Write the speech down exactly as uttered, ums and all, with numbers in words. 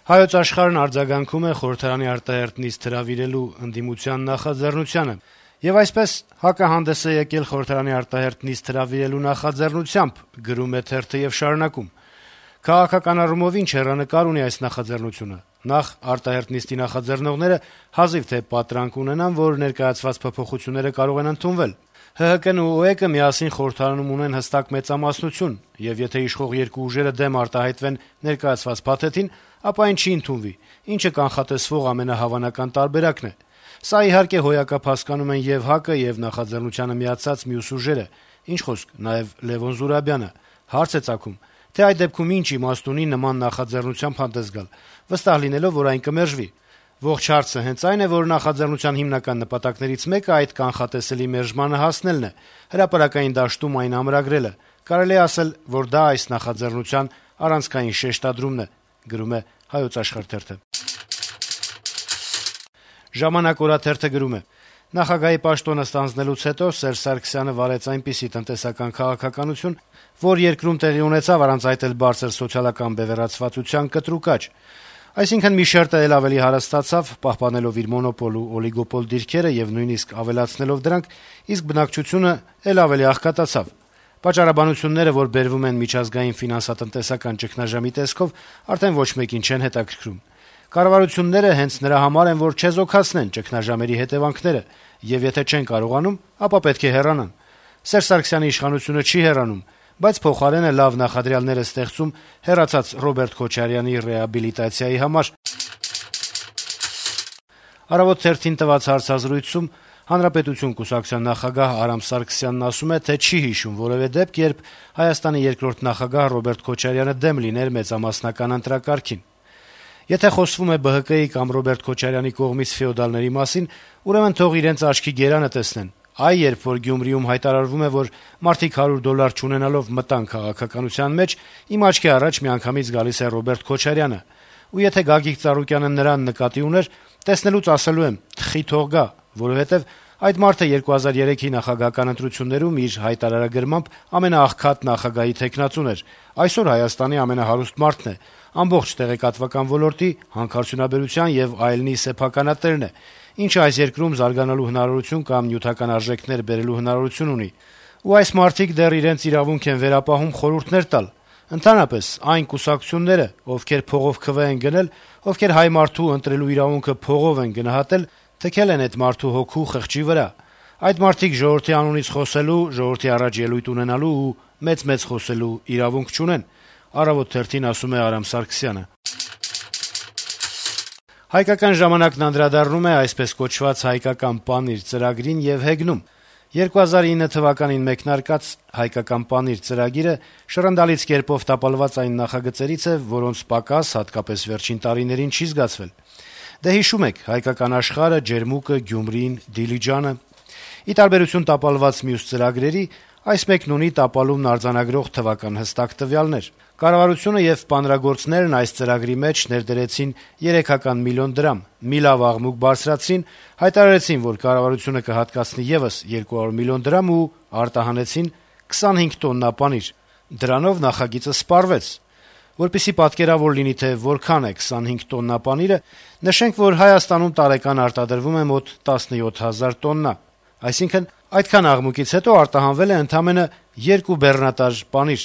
Հայոց աշխարհն արձագանքում է խորհրդարանի արտահերթ նիստ հրավիրելու ընդդիմության նախաձեռնությանը, եւ այսպես ՀԱԿ-ը հանդես է եկել խորհրդարանի արտահերթ նիստ հրավիրելու նախաձեռնությամբ, գրում է թերթը եւ շարունակում. «Քաղաքական առումով ինչ հեռանկար ունի այս նախաձեռնությունը: Նախ, արտահերթ նիստի նախաձեռնողները հազիվ թե պատրանք ունենան, որ ներկայացված փոփոխությունները կարող են ընդունվել: ՀՀԿ-ն ու ՕԵԿ-ը միասին խորհրդարանում ունեն հստակ մեծամասնություն, եւ եթե իշխող երկու ուժերը դեմ արտահայտվեն ներկայացված փաթեթին, ապա այն չի ընդունվի, ինչը կանխատեսվող ամենահավանական տարբերակն է: Սա, իհարկե, հոյակապ հասկանում են եւ ՀԱԿ-ը, եւ նախաձեռնությանը միացած մյուս ուժերը, ինչ խոսք, նաեւ Լեւոն Զուրաբյանը: Հարց է ծագում, թե այդ դեպքում ինչ իմաստ ունի նման նախաձեռնությամբ հանդես գալ, վստահ լինելով, որ այն կմերժվի: Ողջ հարցը հենց այն է, որ նախաձեռնության հիմնական նպատակներից մեկը այդ կանխատեսելի մերժմանը հասնելն է, հրապարակային դաշտում այն ամրագրելը: Կարելի է ասել, որ դա այս նախաձեռնության առանցքային շեշտադրումն է»: «Ժամանակ» օրաթերթը գրում է. - «Նախագահի պաշտոնը ստանձնելուց հետո Սերժ Սարգսյանը վարեց այնպիսի տնտեսական քաղաքականություն, որ երկրում տեղի ունեցավ առանց այդ էլ բարձր սոցիալական բևեռացվածության կտրուկ աճ: Այսինքն՝ մի շերտը էլ ավելի հարստացավ, պահպանելով իր մոնոպոլ ու օլիգոպոլ դիրքերը եւ նույնիսկ ավելացնելով դրանք, իսկ բնակչությունը էլ ավելի աղքատացավ: Պատճառաբանությունները, որ բերվում են միջազգային ֆինանսատնտեսական ճգնաժամի տեսքով, արդեն ոչ մեկին չեն հետաքրքրում: Կառավարությունները հենց նրա համար են, որ չեզոքացնեն ճգնաժամերի հետեւանքները, եւ եթե չեն կարողանում, ապա պետք է հեռանան: Սերժ Սարգսյանի իշխանությունը չի հեռանում, բայց փոխարենը լավ նախադրյալներ է ստեղծում հեռացած Ռոբերտ Քոչարյանի ռեաբիլիտացիայի համար»: «Առավոտ» թերթին տված հարցազրույցում Հանրապետություն կուսակցության նախագահ Արամ Սարգսյանն ասում է, թե չի հիշում որեւէ դեպք, երբ Հայաստանի երկրորդ նախագահ Ռոբերտ Քոչարյանը դեմ լիներ մեծամասնական ընտրակարգին: Եթե խոսվում է Бэ Հ Կ-ի կամ Ռոբերտ Քոչարյանի կողմից ֆեոդալների մասին, ուրեմն թող իրենց աչքի գերանը տեսնեն: Այ երբ որ Գյումրիում հայտարարվում է, որ մարդիկ հարյուր դոլար չունենալով մտան քաղաքականության մեջ, իմ աչքի առաջ միանգամից գալիս է Ռոբերտ Քոչարյանը: Ու եթե Գագիկ Ծառուկյանը նրան նկատի ուներ, տեսնելուց ասելու եմ՝ թխի թող գա, որովհետեւ այդ մարդը երկու հազար երեքի նախագահական ընտրություններում իր հայտարարագրմամբ ամենաաղքատ նախագահի թեկնածուն էր, այսօր Հայաստանի ամենահարուստ մարդն է, ամբողջ տեղեկատվական ոլորտի, հանքարդյունաբերության եւ այլնի սեփականատերն է, ինչը այս երկրում զարգանալու հնարավորություն կամ նյութական արժեքներ բերելու հնարավորություն ունի: Ու այս մարդիկ դեռ իրենց իրավունք են վերապահում խորհուրդներ տալ: Ընդհանրապես, այն կուսակցությունները, ովքեր փողով քվե են գնել, ովքեր հայ մարդու ընտրելու իրավունքը փողով են գնահատել, թքել են այդ մարդու հոգու խղճի վրա: Այդ մարդիկ ժողովրդի անունից խոսելու, ժողովրդի առաջ ելույթ ունենալու ու մեծ-մեծ խոսելու իրավունք չունեն»: «Հայկական ժամանակ»-ն անդրադառնում է այսպես կոչված «Հայկական պանիր» ծրագրին եւ հեգնում. - «երկու հազար ինը թվականին մեկնարկած «Հայկական պանիր» ծրագիրը շռնդալից կերպով տապալված այն նախագծերից է, որոնց պակաս, հատկապես վերջին տարիներին, չի զգացվել: Դե հիշում եք «Հայկական աշխարհ»-ը, «Ջերմուկը», «Գյումրին», «Դիլիջանը»: Ի տարբերություն տապալված մյուս ծրագրերի, այս մեկն ունի տապալումն արձանագրող թվական հստակ տվյալներ: Կառավարությունը եւ պանրագործներն այս ծրագրի մեջ ներդրեցին երեքական միլիոն դրամ, մի լավ աղմուկ բարձրացրին, հայտարարեցին, որ կառավարությունը կհատկացնի եւս երկու հարյուր միլիոն դրամ ու արտահանեցին քսանհինգ տոննա պանիր: Դրանով նախագիծը սպառվեց: Որպեսզի պատկերավոր լինի, թե որքան է քսանհինգ տոննա պանիրը, նշենք, որ Հայաստանում տարեկան արտադրվում է մոտ տասնյոթ հազար տոննա: Այսինքն, այդքան աղմուկից հետո արտահանվել է ընդամենը երկու բեռնատար պանիր»: